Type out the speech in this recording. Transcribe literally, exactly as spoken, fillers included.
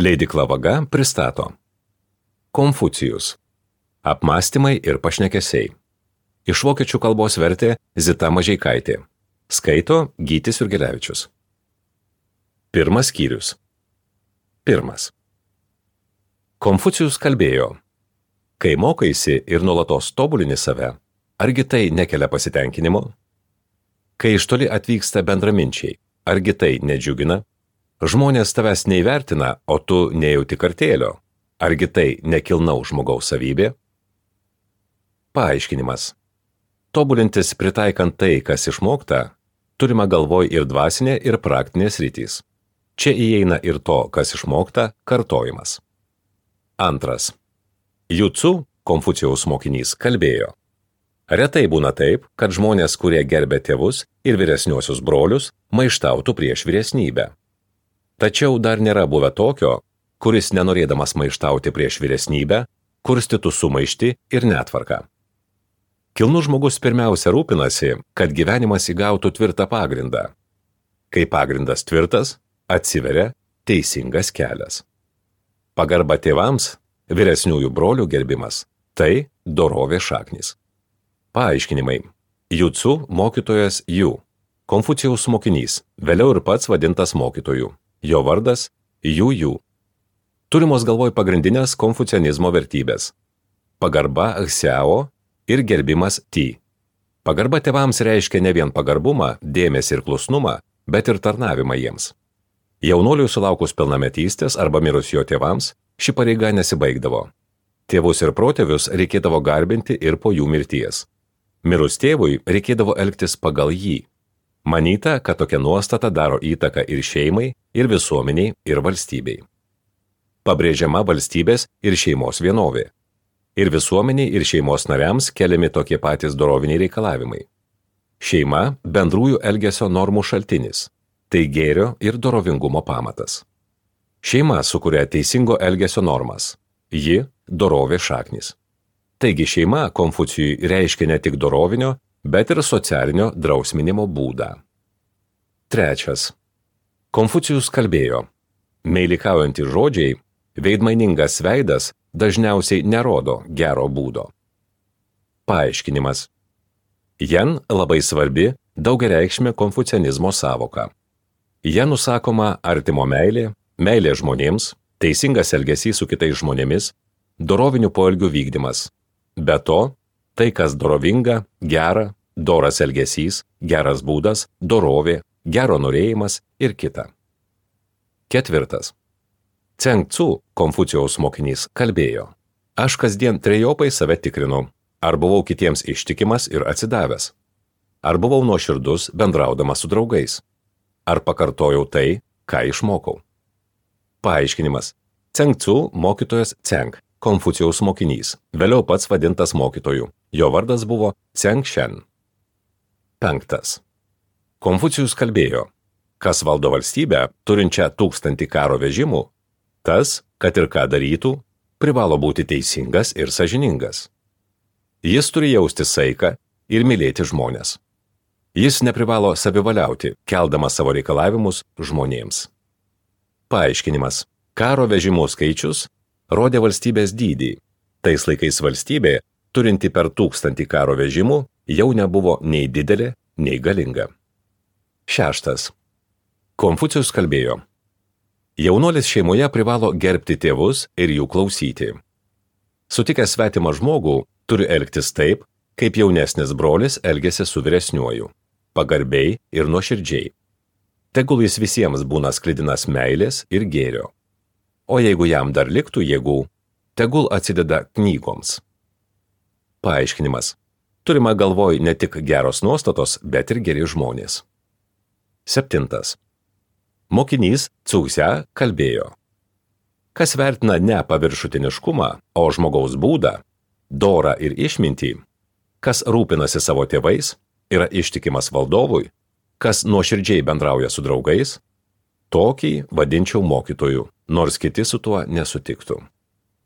Leidykla Vaga pristato Konfucijus. Apmąstymai ir pašnekesiai. Iš vokiečių kalbos vertė Zita Mažeikaitė. Skaito Gytis Jurgelevičius. Pirmas skyrius. Pirmas. Konfucijus kalbėjo: kai mokaisi ir nuolatos tobulini save, argi tai nekelia pasitenkinimo? Kai iš toli atvyksta bendraminčiai, argi tai nedžiugina? Žmonės tavęs neįvertina, o tu nejauti kartėlio. Argi tai nekilnaus žmogaus savybė? Paaiškinimas. Tobulintis pritaikant tai, kas išmokta, turima galvoj ir dvasinė, ir praktinė sritys. Čia įeina ir to, kas išmokta, kartojimas. Antras. Jutsu, Konfucijaus mokinys, kalbėjo: retai būna taip, kad žmonės, kurie gerbia tėvus ir vyresniuosius brolius, maištautų prieš vyresnybę. Tačiau dar nėra buvę tokio, kuris nenorėdamas maištauti prieš vyresnybę, kurstytų sumaištį ir netvarką. Kilnus žmogus pirmiausia rūpinasi, kad gyvenimas įgautų tvirtą pagrindą. Kai pagrindas tvirtas, atsiveria teisingas kelias. Pagarba tėvams, vyresniųjų brolių gerbimas – tai dorovės šaknys. Paaiškinimai. Jutsu mokytojas Ju, Konfucijaus mokinys, vėliau ir pats vadintas mokytoju. Jo vardas Ju Ju. Turimos galvoj pagrindinės konfucianizmo vertybės. Pagarba Xiao ir gerbimas Ti. Pagarba tėvams reiškia ne vien pagarbumą, dėmesį ir klusnumą, bet ir tarnavimą jiems. Jaunuoliui sulaukus pilnametystės arba mirus jo tėvams, ši pareiga nesibaigdavo. Tėvus ir protėvius reikėdavo garbinti ir po jų mirties. Mirus tėvui reikėdavo elgtis pagal jį. Manyta, kad tokia nuostata daro įtaką ir šeimai, ir visuomeniai, ir valstybei. Pabrėžiama valstybės ir šeimos vienovė. Ir visuomeniai, ir šeimos nariams keliami tokie patys doroviniai reikalavimai. Šeima – bendrųjų elgesio normų šaltinis. Tai gėrio ir dorovingumo pamatas. Šeima sukuria teisingo elgesio normas. Ji – dorovės šaknis. Taigi šeima Konfucijui reiškia ne tik dorovinio, bet ir socialinio drausminimo būdą. Trečias. Konfucijus kalbėjo: meilikaujantys žodžiai, veidmainingas veidas dažniausiai nerodo gero būdo. Paaiškinimas. Jen labai svarbi daugiareikšmė konfucianizmo sąvoka. Ja nusakoma artimo meilė, meilė žmonėms, teisingas elgesys su kitais žmonėmis, dorovinių poelgių vykdymas. Be to, tai, kas dorovinga, gera, doras elgesys, geras būdas, dorovė, gero norėjimas ir kita. Ketvirtas. Ceng Tzu, Konfucijaus mokinys, kalbėjo: aš kasdien trejopai save tikrinu, ar buvau kitiems ištikimas ir atsidavęs, ar buvau nuoširdus bendraudamas su draugais, ar pakartojau tai, ką išmokau. Paaiškinimas. Ceng Tzu mokytojas Ceng, Konfucijaus mokinys, vėliau pats vadintas mokytoju. Jo vardas buvo Ceng Shen. Penktas. Konfucijus kalbėjo: kas valdo valstybę, turinčią tūkstantį karo vežimų, tas, kad ir ką darytų, privalo būti teisingas ir sąžiningas. Jis turi jausti saiką ir mylėti žmones. Jis neprivalo savivaliauti, keldamas savo reikalavimus žmonėms. Paaiškinimas. Karo vežimų skaičius rodė valstybės dydį. Tais laikais valstybė, turinti per tūkstantį karo vežimų, jau nebuvo nei didelė, nei galinga. Šeštas. Konfucijus kalbėjo: jaunuolis šeimoje privalo gerbti tėvus ir jų klausyti. Sutikęs svetimą žmogų, turi elgtis taip, kaip jaunesnis brolis elgiasi su vyresniuoju, pagarbiai ir nuoširdžiai. Tegul jis visiems būna sklidinas meilės ir gėrio. O jeigu jam dar liktų jėgų, tegul atsideda knygoms. Paaiškinimas. Turima galvoj ne tik geros nuostatos, bet ir geri žmonės. Septintas. Mokinys Cūsia kalbėjo: kas vertina ne paviršutiniškumą, o žmogaus būdą, dorą ir išmintį, kas rūpinasi savo tėvais, yra ištikimas valdovui, kas nuoširdžiai bendrauja su draugais, tokį vadinčiau mokytoju, nors kiti su tuo nesutiktų.